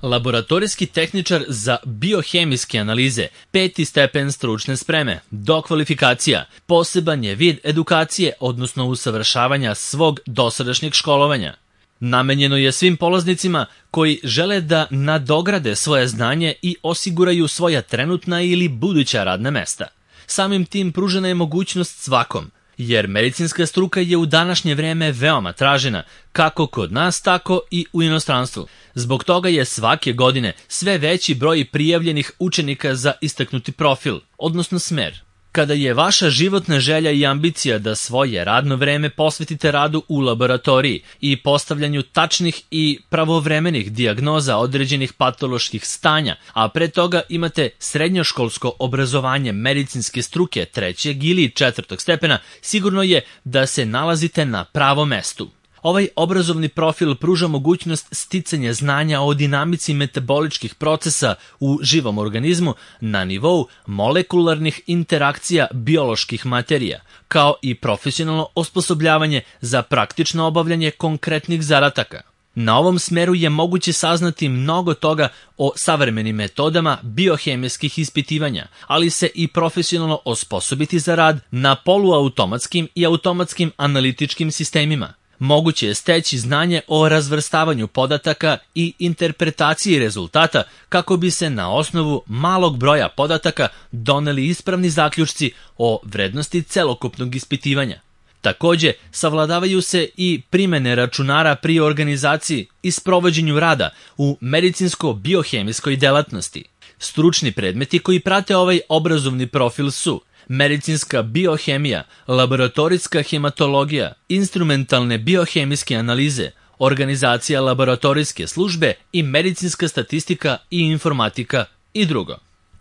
Laboratorijski tehničar za biohemijske analize, 5. stepen stručne spreme, dokvalifikacija, poseban je vid edukacije, odnosno usavršavanja svog dosadašnjeg školovanja. Namenjeno je svim polaznicima koji žele da nadograde svoje znanje i osiguraju svoja trenutna ili buduća radna mesta. Samim tim pružena je mogućnost svakom, jer medicinska struka je u današnje vreme veoma tražena, kako kod nas, tako i u inostranstvu. Zbog toga je svake godine sve veći broj prijavljenih učenika za istaknuti profil, odnosno smer. Kada je vaša životna želja i ambicija da svoje radno vreme posvetite radu u laboratoriji i postavljanju tačnih i pravovremenih dijagnoza određenih patoloških stanja, a pre toga imate srednjoškolsko obrazovanje medicinske struke 3. ili 4. stepena, sigurno je da se nalazite na pravom mestu. Ovaj obrazovni profil pruža mogućnost sticanja znanja o dinamici metaboličkih procesa u živom organizmu na nivou molekularnih interakcija bioloških materija, kao i profesionalno osposobljavanje za praktično obavljanje konkretnih zadataka. Na ovom smeru je moguće saznati mnogo toga o savremenim metodama biohemijskih ispitivanja, ali se i profesionalno osposobiti za rad na poluautomatskim i automatskim analitičkim sistemima. Moguće je steći znanje o razvrstavanju podataka i interpretaciji rezultata kako bi se na osnovu malog broja podataka doneli ispravni zaključci o vrednosti celokupnog ispitivanja. Takođe, savladavaju se i primene računara pri organizaciji i sprovođenju rada u medicinsko-biohemijskoj delatnosti. Stručni predmeti koji prate ovaj obrazovni profil su medicinska biohemija, laboratorijska hematologija, instrumentalne biohemijske analize, organizacija laboratorijske službe i medicinska statistika i informatika i drugo.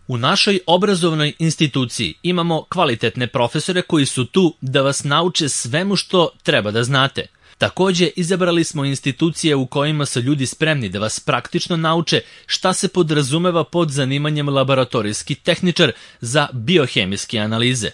U našoj obrazovnoj instituciji imamo kvalitetne profesore koji su tu da vas nauče svemu što treba da znate. Takođe, izabrali smo institucije u kojima su ljudi spremni da vas praktično nauče šta se podrazumeva pod zanimanjem laboratorijski tehničar za biohemijske analize.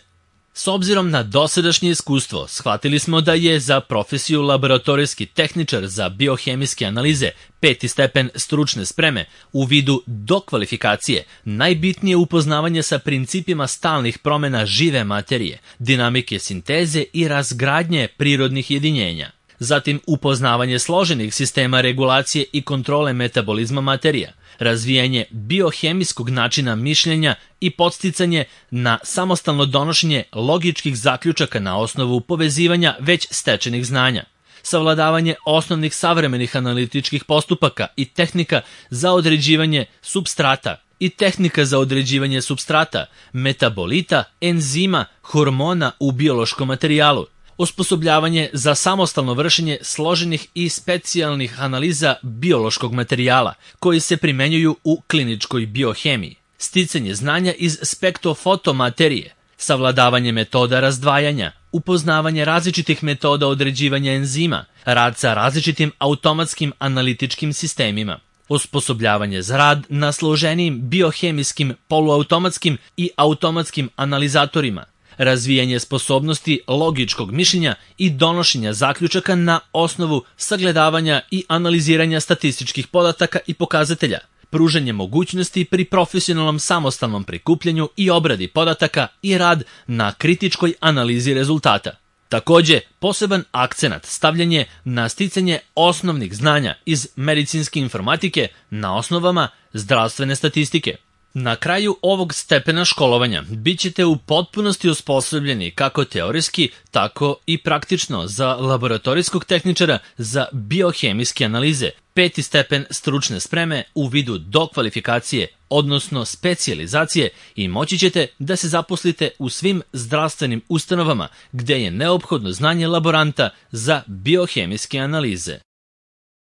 S obzirom na dosadašnje iskustvo, shvatili smo da je za profesiju laboratorijski tehničar za biohemijske analize 5. stepen stručne spreme u vidu dokvalifikacije najbitnije upoznavanje sa principima stalnih promena žive materije, dinamike sinteze i razgradnje prirodnih jedinjenja. Zatim upoznavanje složenih sistema regulacije i kontrole metabolizma materija, razvijanje biohemijskog načina mišljenja i podsticanje na samostalno donošenje logičkih zaključaka na osnovu povezivanja već stečenih znanja, savladavanje osnovnih savremenih analitičkih postupaka i tehnika za određivanje supstrata, metabolita, enzima, hormona u biološkom materijalu, osposobljavanje za samostalno vršenje složenih i specijalnih analiza biološkog materijala koji se primenjuju u kliničkoj biohemiji, sticanje znanja iz spektrofotomaterije, savladavanje metoda razdvajanja, upoznavanje različitih metoda određivanja enzima, rad sa različitim automatskim analitičkim sistemima, osposobljavanje za rad na složenijim biohemijskim, poluautomatskim i automatskim analizatorima, razvijanje sposobnosti logičkog mišljenja i donošenja zaključaka na osnovu sagledavanja i analiziranja statističkih podataka i pokazatelja, pružanje mogućnosti pri profesionalnom samostalnom prikupljanju i obradi podataka i rad na kritičkoj analizi rezultata. Takođe, poseban akcenat stavljen je na sticanje osnovnih znanja iz medicinske informatike na osnovama zdravstvene statistike. Na kraju ovog stepena školovanja bit ćete u potpunosti osposobljeni kako teorijski, tako i praktično za laboratorijskog tehničara za biohemijske analize, 5. stepen stručne spreme u vidu dokvalifikacije, odnosno specijalizacije, i moći ćete da se zaposlite u svim zdravstvenim ustanovama gde je neophodno znanje laboranta za biohemijske analize.